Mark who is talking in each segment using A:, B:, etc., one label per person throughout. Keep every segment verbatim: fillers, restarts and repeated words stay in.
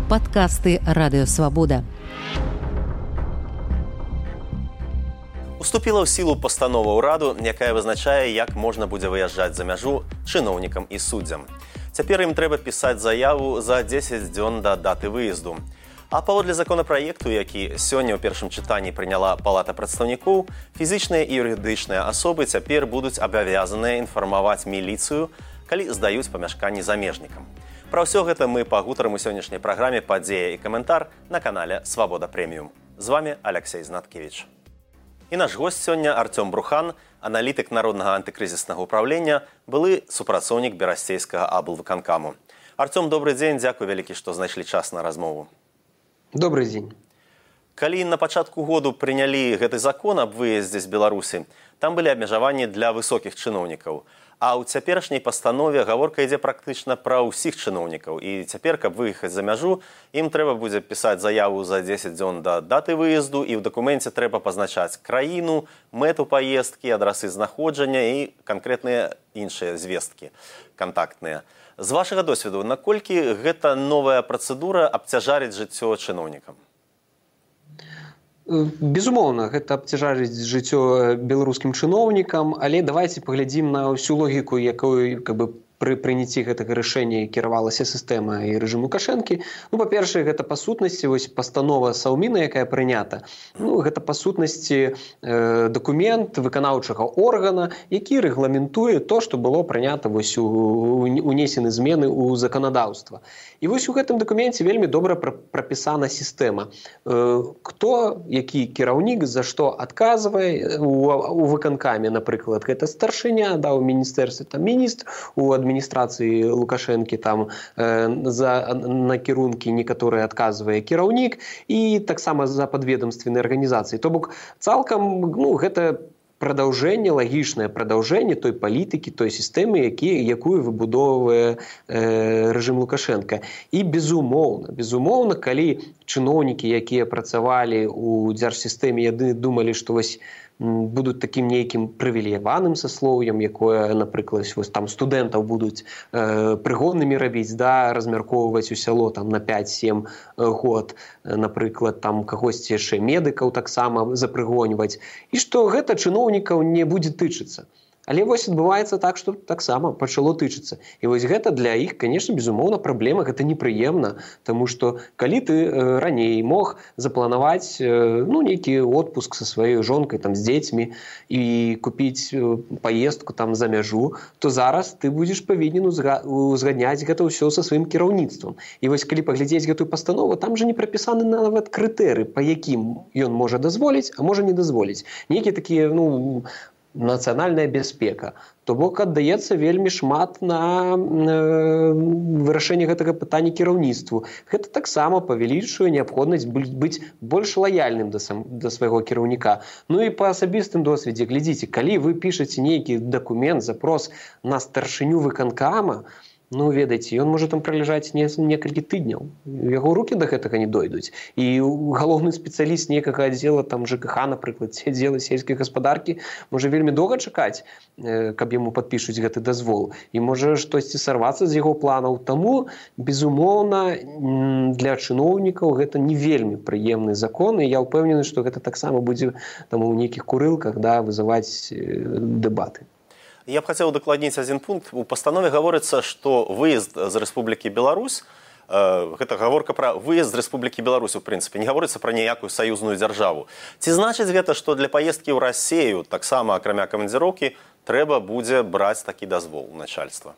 A: Падкасты Радыё Свабода.
B: Уступіла ў сілу пастанова ўраду, якая вызначае, як можна будзе выязджаць за мяжу чыноўнікам і суддзям. Цяпер ім трэба пісаць заяву за дзесяць дзён да даты выезду. А паводле законапраекту, які сёння ў першым чытанні прыняла Палата прадстаўнікоў, фізічныя і юрыдычныя асобы цяпер будуць абавязаныя інфармаваць міліцыю, калі здаюць памяшканні замежнікам. Пра ўсё гэта мы пагутарым у сённяшняй праграме «Падзея і каментар» на канале «Свабода Прэміум». З вами Алексей Знаткевич. І наш госць сёння Артём Брухан, аналітык Народнага антыкрызіснага ўправлення, былы супрацоўнік Берасцейскага аблвыканкаму. Артём, добры дзень, дзякуй вялікі, што знайшлі час на размову.
C: Добрый дзень.
B: Калі на пачатку году прынялі гэты закон аб выездзе з Беларусі, там былі абмежаванні для высокіх чыноўнікаў. А ў цяперашняй пастанове гаворка ідзе практычна пра ўсіх чыноўнікаў. І цяпер, каб выехаць за мяжу, ім трэба будзе пісаць заяву за дзесяць дзён да даты выезду, і ў дакуменце трэба пазначаць краіну, мэту паездкі, адрасы знаходжання і канкрэтныя іншыя звесткі кантактныя. З вашага досведу, наколькі гэта новая працэдура абцяжарыць жыццё чыноўнікам?
C: Безумоўна, гэта абцяжарыць жыццё беларускім чыноўнікам, але давайце паглядзім на ўсю логіку, якой как бы пры прыняцці гэтага рашэння кіравалася сістэма і рэжым Лукашэнкі. Ну, па-першае, гэта па сутнасці вось пастанова Саўміна, якая прынята. Ну, гэта па сутнасці э, дакумент выканаўчага органа, які рэгламентуе то, што было прынята вось у, унесены змены ў заканадаўства. І вось у гэтым дакуменце вельмі добра прапісана сістэма. Э, хто, які кіраўнік, за што адказвае у, у выканкаме, напрыклад, гэта старшыня, да, у міністэрстве, там міністр, у адміністрацыі Лукашэнкі там э, за накірункі некаторыя адказвае кіраўнік і таксама за падведамственнай арганізацыі. То бок цалкам, ну, гэта прадаўжэнне, лагічнае прадаўжэнне той палітыкі, той сістэмы, які, якую выбудоўвае э, рэжым Лукашэнка. І безумоўна, безумоўна, калі чыноўнікі, якія працавалі ў дзяржсістэме, яны думалі, што вось будуць такім нейкім прывілеяваным саслоўем, якое, напрыклад, вось там студэнтаў будуць э, прыгоннымі рабіць, да, размяркоўваць у сяло там на пяць-сем год, напрыклад, там кагосьці яшчэ медыкаў таксама запрыгоньваць, і што гэта чыноўнікаў не будзе тычыцца. Але вось адбываецца так, што таксама пачало тычыцца. І вось гэта для іх, канешне, безумоўна, праблема, гэта непрыемна, таму што калі ты э, раней мог запланаваць э, ну, нейкі отпуск са сваёй жонкай, там, з дзецьмі і купіць э, паездку там за мяжу, то зараз ты будзеш павінен узгадняць гэта ўсё са сваім кіраўніцтвам. І вось калі паглядзець гэтую пастанову, там жа не прапісаны нават крытэры, па якім ён можа дазволіць, а можа не дазволіць. Нейкія такія, ну, нацыянальная бяспека. То бок аддаецца вельмі шмат на э, вырашэнне гэтага пытання кіраўніцтву. Гэта таксама павялічвае неабходнасць быць больш лаяльным да, сам, да свайго кіраўніка. Ну і па асабістым досведзе, глядзіце, калі вы пішаце нейкі дакумент, запрос на старшыню выканкама, ну, ведаеце, ён можа там праляжаць не, некалькі тыдняў. Яго рукі да гэтага не дойдуць. І галоўны спецыяліст некага аддзела, там ЖКХ, напрыклад, ці аддзела сельскай гаспадаркі, можа вельмі доўга чакаць, каб яму падпішуць гэты дазвол. І можа штосьці сарвацца з яго планаў. Таму, безумоўна, для чыноўнікаў гэта не вельмі прыемны закон, і я ўпэўнены, што гэта таксама будзе там у нейкіх курылках, да, вызываць дэбаты.
B: Я б хацеў дакладніць адзін пункт. У пастанове гаворыцца, што выезд з Рэспублікі Беларусь, э, гэта гаворка пра выезд з Рэспублікі Беларусь, у прынцыпе, не гаворыцца пра ніякую саюзную дзяржаву. Ці значыць гэта, што для паездкі ў Расею, таксама акрамя камандзіроўкі, трэба будзе браць такі дазвол начальства?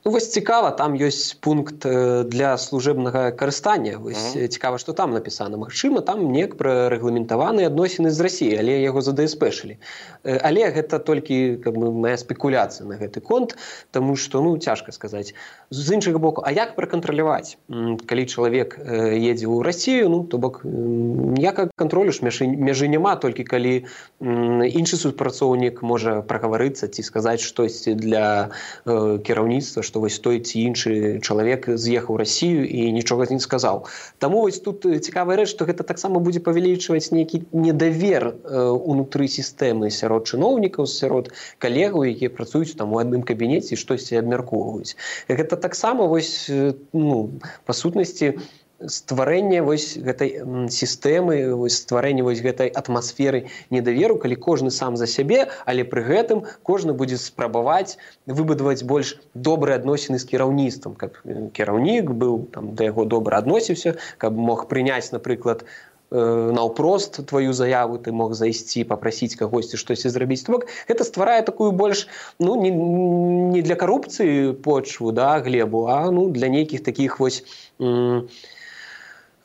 C: Ну, вось цікава, там ёсць пункт для служебнага карыстання. Вось mm-hmm. цікава, што там напісана. Магчыма, там неяк прарэгламентаваныя адносіны з Расіяй, але яго задэспэшылі. Але гэта толькі как бы, мая спекуляцыя на гэты конт, таму што, ну, цяжка сказаць. З іншага боку, а як пракантраляваць? Калі чалавек едзе ў Расію, ну, то бок ніякага кантролю ж мяжы, мяжы няма, толькі калі іншы супрацоўнік можа прагаварыцца ці сказаць штосьці для э, кіраўніцтва, што вось той ці іншы чалавек з'ехаў у Расію і нічога не сказаў. Таму вось тут цікавая рэч, што гэта таксама будзе павялічваць нейкі недавер унутры сістэмы сярод чыноўнікаў, сярод калегаў, якія працуюць там у адным кабінеце і штосьці абмяркоўваюць. Гэта таксама вось, ну, па сутнасці, стварэнне вось гэтай сістэмы, вось стварэнне вось гэтай атмасферы недаверу, калі кожны сам за сябе, але пры гэтым кожны будзе спрабаваць выбудаваць больш добрыя адносіны з кіраўніцтвам, каб кіраўнік быў там да яго добра адносіўся, каб мог прыняць, напрыклад, наўпрост тваю заяву, ты мог зайсці, папрасіць кагосьці штосьці зрабіць. То бок гэта стварае такую больш, ну, не, не для карупцыі почву, да, глебу, а ну для нейкіх такіх вось м-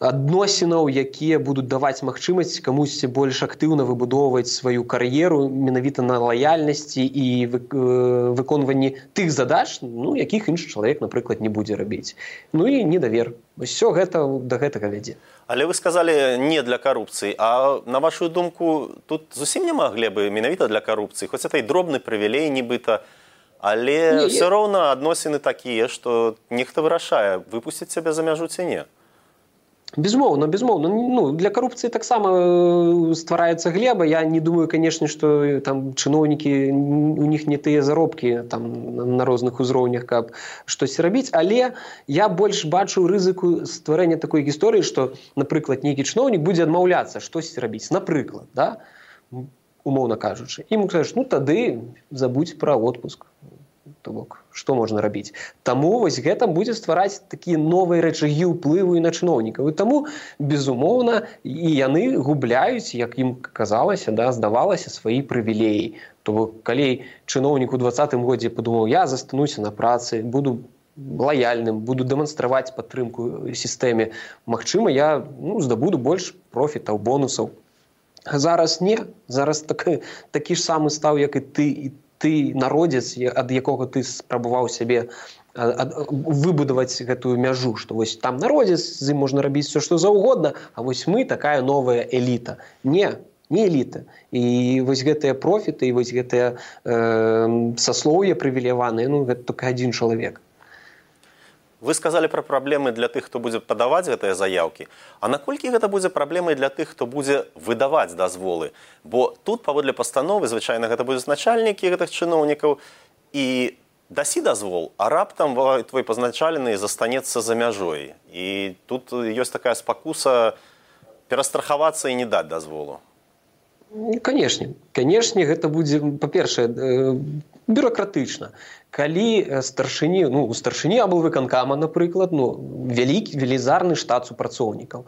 C: адносінаў, якія будуць даваць магчымасць камусьці больш актыўна выбудоўваць сваю кар'еру менавіта на лаяльнасці і выконванні тых задач, ну, якіх іншы чалавек, напрыклад, не будзе рабіць. Ну і недавер. Усё гэта да гэтага вядзе.
B: Але вы сказалі не для карупцыі, а на вашу думку, тут зусім няма глебы менавіта для карупцыі, хоць это і дробны прывілей нібыта, але ўсё роўна адносіны такія, што нехта вырашае, выпусціць цябе за мяжу ці не.
C: Безумоўна, безумоўна. Ну, для карупцыі таксама ствараецца глеба. Я не думаю, канешне, што там чыноўнікі, у них не тыя заробкі там на розных узроўнях, каб штосьці рабіць, але я больш бачу рызыку стварэння такой гісторыі, што, напрыклад, нейкі чыноўнік будзе адмаўляцца штосьці рабіць. Напрыклад, да? Умоўна кажучы. І ему кажаш, ну тады забудь пра отпуск. То бок, што можна рабіць? Таму вось гэта будзе ствараць такія новыя рэчагі ўплыву і на чыноўнікаў. І таму, безумоўна, і яны губляюць, як ім казалася, да, здавалася, свае прывілеі. То бок, калі чыноўнік у двадцатым годзе падумаў, я застануся на працы, буду лаяльным, буду дэманстраваць падтрымку сістэме, магчыма, я ну, здабуду больш профітаў, бонусаў. А зараз не. Зараз так, такі ж самы стаў, як і ты, і ты народзец, ад якога ты спрабаваў сябе выбудаваць гэтую мяжу, што вось там народзец, з ім можна рабіць все, што заўгодна, а вось мы такая новая эліта. Не, не эліта. І вось гэтыя профіты, і вось гэтыя э, саслоўя прывілеяваныя, ну, гэта толькі адзін чалавек.
B: Вы сказалі пра праблемы для тых, хто будзе падаваць гэтыя заяўкі. А наколькі гэта будзе праблемай для тых, хто будзе выдаваць дазволы? Бо тут, паводле пастановы, звычайна, гэта будуць начальнікі гэтых чыноўнікаў і дасі дазвол, а раптам твой пазначалены застанецца за мяжой. І тут ёсць такая спакуса перастрахавацца і не даць дазволу.
C: Канешне. Канешне, гэта будзе, па-першае, бюракратычна. Калі старшыні, ну, у старшыні аблвыканкама, напрыклад, ну, вялікі, велізарны штат супрацоўнікаў.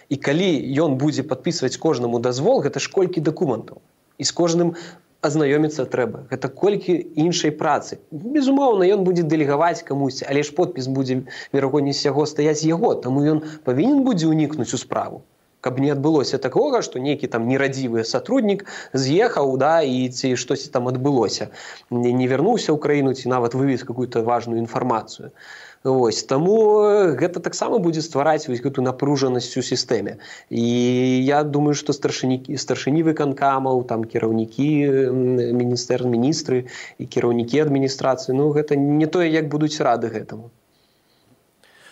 C: І калі ён будзе падпісваць кожнаму дазвол, гэта ж колькі дакументаў. І з кожным азнаёміцца трэба. Гэта колькі іншай працы. Безумоўна, ён будзе дэлегаваць камусьці, але ж подпіс будзе, верагоднасць яго, стаяць яго, таму ён павінен будзе ўнікнуць у справу. Каб не адбылося такога, што нейкі там нерадзівы сотруднік з'ехаў, да, і ці штосьці там адбылося. Не, не вярнуўся ў краіну, ці нават вывез какую-то важную інфармацыю. Вось, таму гэта таксама будзе ствараць вось гэту напружанасць у сістэме. І я думаю, што старшыні, старшыні выканкамаў, там кіраўнікі міністэр, міністры і кіраўнікі адміністрацыі, ну гэта не тое, як будуць рады гэтаму.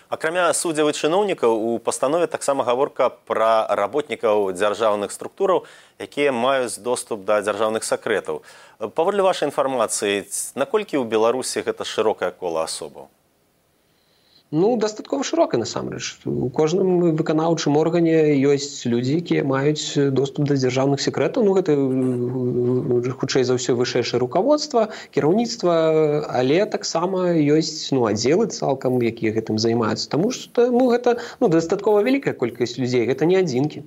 B: Акрамя суддзяў і чыноўнікаў, у пастанове таксама гаворка пра работнікаў дзяржаўных структураў, якія маюць доступ да дзяржаўных сакрэтаў. Паводле вашай інфармацыі, наколькі ў Беларусі гэта шырокае кола асобаў?
C: Ну, дастаткова шырока, насамрэч. У кожным выканаўчым органе ёсць людзі, якія маюць доступ да дзяржаўных секрэтаў. Ну, гэта, хутчэй за ўсё, вышэйшае руководства, кіраўніцтва, але таксама ёсць, ну, аддзелы цалкам, якія гэтым займаюцца. Таму што, ну, гэта, ну, дастаткова вялікая колькасць людзей, гэта не адзінкі.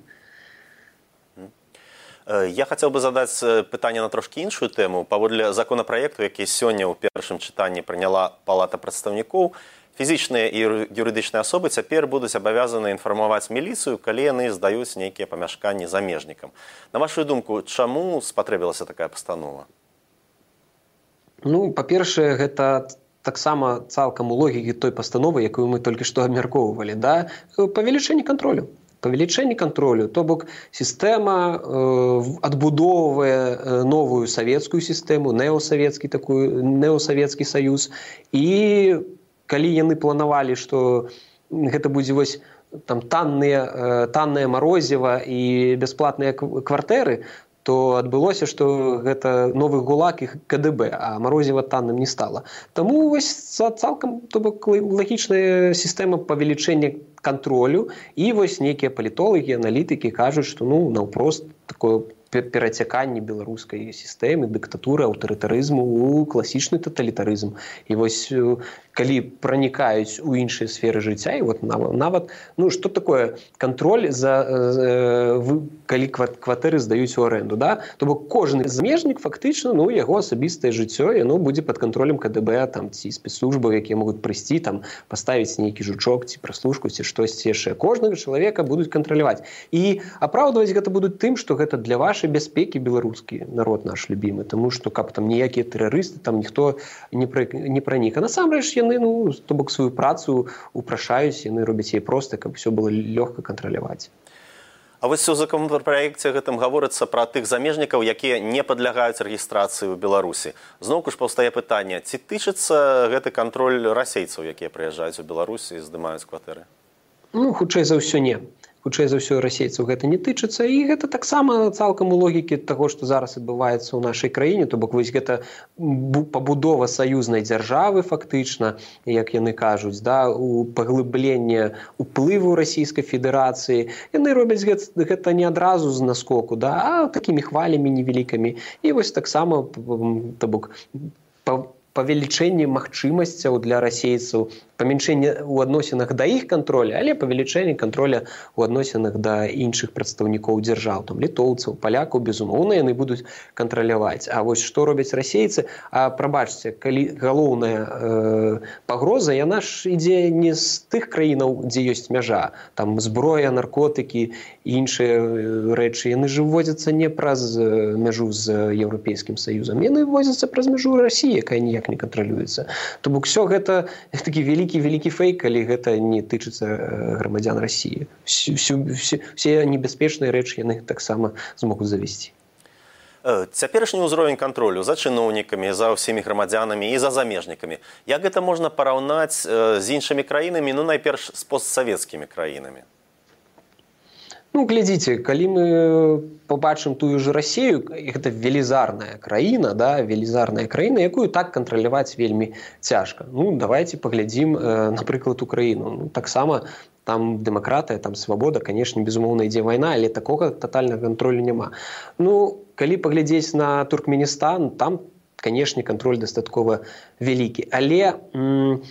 B: Я хацеў бы задаць пытанне на трошкі іншую тэму. Паводле законапраекту, які сёння ў першым чытанні прыняла Палата прадстаўнікоў, фізічныя і юрыдычныя асобы цяпер будуць абавязаны інфармаваць міліцыю, калі яны здаюць нейкія памяшканні замежнікам. На вашу думку, чаму спатрэбілася такая пастанова?
C: Ну, па-першае, гэта таксама цалкам у логікі той пастановы, якую мы толькі што абмяркоўвалі, да? Павелічэнне кантролю. Павелічэнне кантролю, то бок сістэма э, адбудоўвае э, новую савецкую сістэму, неосавецкі такую, неосавецкі саюз, і калі яны планавалі, што гэта будзе вось там танныя, таннае марозіва і бясплатныя кватэры, то адбылося, што гэта новы ГУЛАГ і КДБ, а марозіва танным не стала. Таму вось цалкам, то бок, лагічная сістэма павелічэння кантролю, і вось нейкія палітолагі, аналітыкі кажуць, што ну наўпрост такое перацяканне беларускай сістэмы, дыктатуры, аўтарытарызму ў класічны таталітарызм. І вось калі пранікаюць у іншыя сферы жыцця, і вот нават, ну што такое кантроль за, э, калі кватэры здаюць у арэнду, да? То бок кожны замежнік фактычна, ну яго асабістае жыццё, яно будзе пад кантролем КДБ там ці спецслужбаў, якія могуць прыйсці там, паставіць нейкі жучок ці праслушку ці штосьці яшчэ. Кожнага чалавека будуць кантраляваць. І апраўдваць гэта будуць тым, што гэта для вашай бяспекі беларускі народ наш любімы, таму што каб там ніякія тэрарысты там ніхто не, пра, не пранік. А насамрэч яны, ну, то бок сваю працу упрашаюць, яны робяць яе проста, каб все было лёгка кантраляваць.
B: А вось у законапраекце гэтым гаворыцца пра тых замежнікаў, якія не падлягаюць рэгістрацыі ў Беларусі. Зноўку ж паўстае пытанне, ці тычыцца гэты кантроль расейцаў, якія прыязджаюць у Беларусі і здымаюць кватэры?
C: Ну, хутчэй за ўсё не. Хутчэй за ўсё расейцаў гэта не тычыцца, і гэта таксама цалкам у логікі таго, што зараз адбываецца ў нашай краіне, то бок вось гэта пабудова саюзнай дзяржавы фактычна, як яны кажуць, да, у паглыбленне уплыву Расійскай Федэрацыі. Яны робяць гэта не адразу з наскоку, да, а такімі хвалямі невялікімі. І вось таксама, то бок, павелічэнне магчымасцяў для расейцаў, памяншэнне ў адносінах да іх кантроля, але павелічэнне кантроля ў адносінах да іншых прадстаўнікоў дзяржаў, там літоўцаў, палякаў, безумоўна, яны будуць кантраляваць. А вось што робяць расейцы? А прабачце, калі галоўная э, пагроза, яна ж ідзе не з тых краінаў, дзе ёсць мяжа, там зброя, наркотыкі і іншыя рэчы, яны ж вводзяцца не праз мяжу з Еўрапейскім Саюзам, яны вводзяцца праз мяжу Расіі, якая ніяк не кантралюецца. То бок усё гэта такі вялікі вялікі фейк, калі гэта не тычыцца грамадзян Расіі. Все небяспечныя рэчы яны таксама змогуць завесці.
B: Цяперашні ўзровень кантролю за чыноўнікамі, за ўсімі грамадзянамі і за замежнікамі. Як гэта можна параўнаць з іншымі краінамі, ну найперш з постсавецкімі краінамі?
C: Ну, глядзіце, калі мы побачым тую ж Расію, гэта велізарная краіна, да, велізарная краіна, якую так кантраляваць вельмі цяжка. Ну, давайте паглядзім, э, напрыклад, Украіну. Ну, таксама там дэмакратыя, там свабода, канешне, безумоўна, ідзе вайна, але такога татальнага кантролю няма. Ну, калі паглядзець на Туркменістан, там, канешне, кантроль дастаткова вялікі. Але м-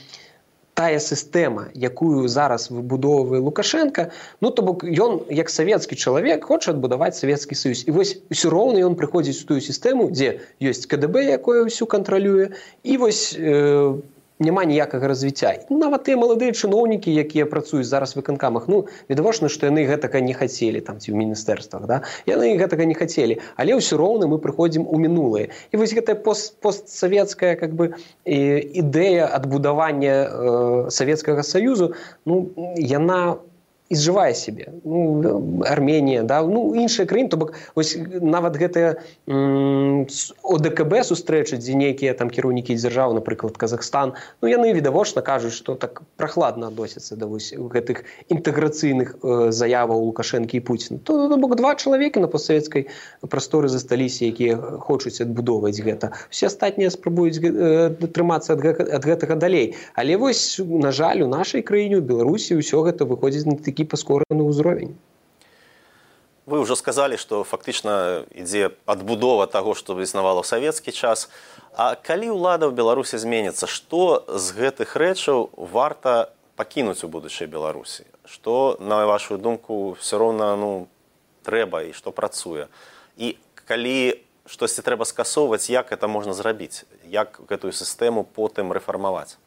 C: тая сістэма, якую зараз выбудоўвае Лукашенко, ну, то бок ён, як савецкі чалавек, хоча адбудаваць Савецкі Саюз. І вось усё роўна ён прыходзіць у тую сістэму, дзе ёсць КДБ, якое ўсю кантралюе, і вось э, няма ніякага развіцця. Нават тыя маладыя чыноўнікі, якія працуюць зараз у выканкамах, ну, відавочна, што яны гэтага не хацелі, там, ці ў міністэрствах, да? Яны гэтага не хацелі, але ўсё роўна мы прыходзім у мінулае. І вось гэтая пост, постсавецкая, как бы, ідэя адбудавання э, Савецкага Саюзу, ну, яна изжывае сябе. Ну, Арменія, да, ну, іншыя краіны, то бок, вось нават гэтыя ОДКБ сустрэчы, дзе нейкія там кіраўнікі дзяржаў, напрыклад, Казахстан, ну, яны відавочна кажуць, што так прахладна адносяцца да вось гэтых інтэграцыйных э, заяваў Лукашэнкі і Пуціна. То, то бок, два чалавекі на постсавецкай прасторы засталіся, якія хочуць адбудоўваць гэта. Усе астатнія спрабуюць э, трымацца ад, ад гэтага далей. Але вось, на жаль, у нашай краіне, у Беларусі, ўсё гэта выходзіць на такі паскораны ўзровень.
B: Вы ўжо сказалі, што фактычна ідзе адбудова таго, што існавала ў савецкі час. А калі ўлада ў Беларусі зменіцца, што з гэтых рэчаў варта пакінуць у будучай Беларусі? Што, на вашу думку, все роўна, ну, трэба і што працуе? І калі штосьці трэба скасоўваць, як гэта можна зрабіць? Як гэтую сістэму потым рэфармаваць?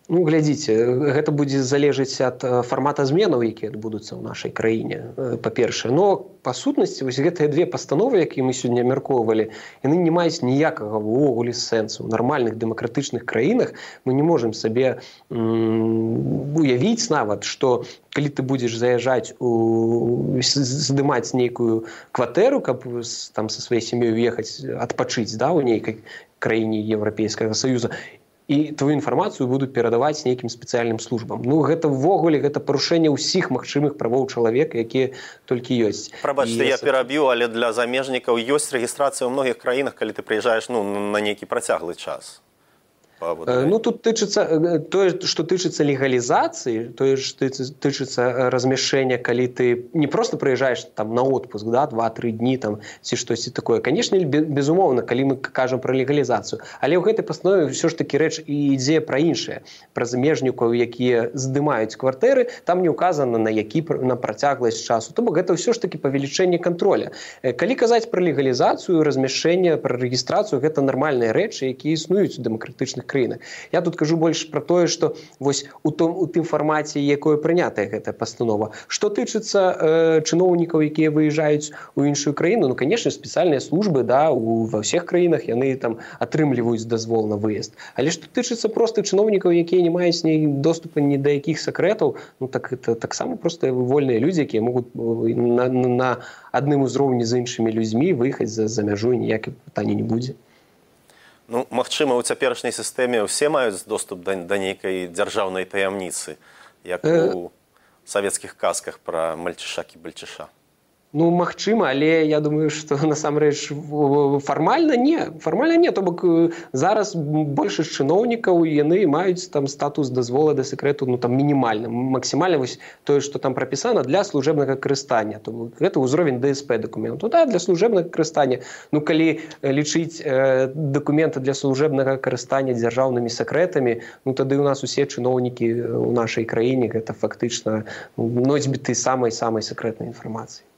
C: Ну, глядзіце, гэта будзе залежыць ад фармата зменаў, якія адбудуцца ў нашай краіне, па-першае. Но, па сутнасці, вось гэтыя две пастановы, якія мы сёння абмяркоўвалі, яны не маюць ніякага ўвогуле сэнсу. У нармальных дэмакратычных краінах мы не можам сабе м- уявіць нават, што калі ты будзеш заязджаць, у... здымаць нейкую кватэру, каб там са сваёй сям'ёй уехаць адпачыць, да, у нейкай краіне Еўрапейскага Саюза, і твою інфармацыю будуць перадаваць нейкім спецыяльным службам. Ну гэта ўвогуле гэта парушэнне ўсіх магчымых правоў чалавека, якія толькі ёсць.
B: Прабачце, я пераб'ю, але для замежнікаў ёсць рэгістрацыя ў многіх краінах, калі ты прыязджаеш ну, на нейкі працяглы час.
C: Ну, тут тычыцца, тое, што тычыцца легалізацыі, тое, што тычыцца размяшчэння, калі ты не проста прыязджаеш там на отпуск, да, два-тры дні там, ці штосьці такое. Канешне, безумоўна, калі мы кажам пра легалізацыю. Але ў гэтай пастанове ўсё ж такі рэч і ідзе пра іншае. Пра замежнікаў, якія здымаюць кватэры, там не ўказана на які на працягласць часу. То бок гэта ўсё ж такі павелічэнне кантроля. Калі казаць пра легалізацыю, размяшчэнне, пра рэгістрацыю, гэта нармальныя рэчы, якія існуюць у дэмакратычных краіны. Я тут кажу больш пра тое, што вось у том у тым фармаце, якое прынятая гэтая пастанова. Што тычыцца э, чыноўнікаў, якія выязджаюць у іншую краіну, ну канешне, спецыяльныя службы, да, у ва ўсіх краінах яны там атрымліваюць дазвол на выезд. Але што тычыцца проста чыноўнікаў, якія не маюць ні доступа ні да якіх сакрэтаў, ну так это таксама проста вольныя людзі, якія могуць на, на адным узроўні з іншымі людзьмі выехаць за, за мяжу, ніякіх пытання не будзе.
B: Ну, магчыма, у цяперашняй сістэме ўсе маюць доступ да, да нейкай дзяржаўнай таямніцы, як у савецкіх казках пра мальчыша-кібальчыша.
C: Ну, магчыма, але я думаю, што насамрэч фармальна не. Фармальна не, то бок зараз большасць чыноўнікаў, яны маюць там статус дазвола да сакрэту, ну там мінімальна, максімальна вось тое, што там прапісана для служэбнага карыстання. То бок гэта ўзровень дэ эс пэ дакументу. Да, для служэбнага карыстання. Ну, калі лічыць э, дакументы для служэбнага карыстання дзяржаўнымі сакрэтамі, ну тады ў нас усе чыноўнікі ў нашай краіне гэта фактычна носьбіты самай-самай сакрэтнай інфармацыі.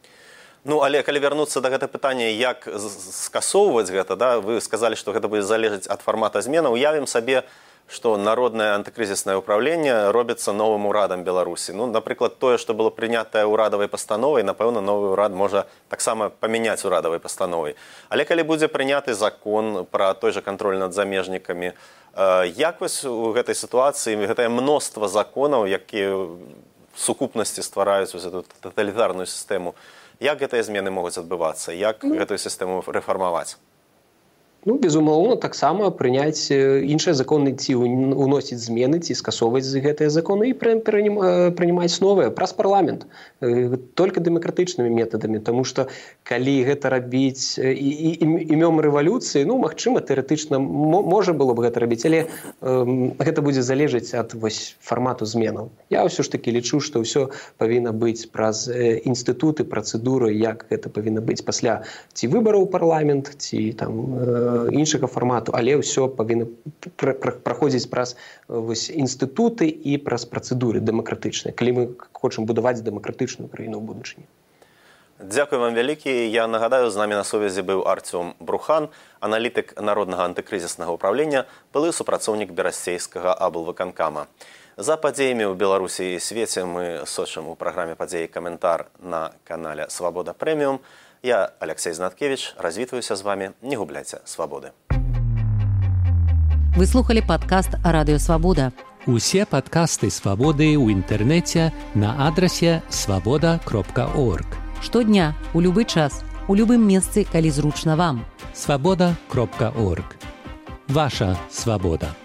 B: Ну, але калі вярнуцца да гэта пытання, як скасоўваць гэта, да, вы сказалі, што гэта будзе залежаць ад фармата змены. Уявім сабе, што народнае антыкрызіснае ўпраўленне робіцца новым урадам Беларусі. Ну, напрыклад, тое, што было прынятае ўрадавай пастановай, напэўна, новы ўрад можа таксама памяняць урадавай пастановай. Але калі будзе прыняты закон пра той жа кантроль над замежнікамі, як вось у гэтай сітуацыі гэтае мноства законаў, якія в сукупнасці ствараюць эту таталітарную сістэму, як гэтыя змены могуць адбывацца? Як ну, гэтую сістэму рэфармаваць?
C: Ну, безумоўна, таксама прыняць іншыя законы, ці уносіць змены, ці скасоўваць гэтыя законы і прынимаць новыя праз парламент. Толькі дэмакратычнымі метадамі, таму што калі гэта рабіць імём рэвалюцыі, ну, магчыма, тэарэтычна можа было б гэта рабіць, але э, гэта будзе залежаць ад вось фармату зменаў. Я ўсё ж такі лічу, што ўсё павінна быць праз інстытуты, працэдуры, як гэта павінна быць пасля ці выбараў парламент, ці там э, іншага фармату, але ўсё павінна праходзіць праз вось інстытуты і праз працэдуры дэмакратычныя, калі мы хочам будаваць дэмакратычную краіну ў будучыні.
B: Дзякуй вам вялікі. Я нагадаю, з намі на сувязі быў Артём Брухан, аналітык народнага антыкрызіснага ўпраўлення, былы супрацоўнік берасцейскага аблвыканкама. За падзеямі ў Беларусі і свеце мы сочым у праграме «Падзеі каментар» на канале «Свабода Прэміум». Я, Алексей Знаткевич, развітваюся з вами. Не губляйте свободы.
A: Вы слухали падкаст «Радыё Свабода».
D: Усе падкасты «Свабоды» ў інтэрнэце на адрасе свабода кропка орг.
A: Штодня, у любы час, у любым месцы, калі зручна вам.
D: свабода кропка орг. Ваша свабода.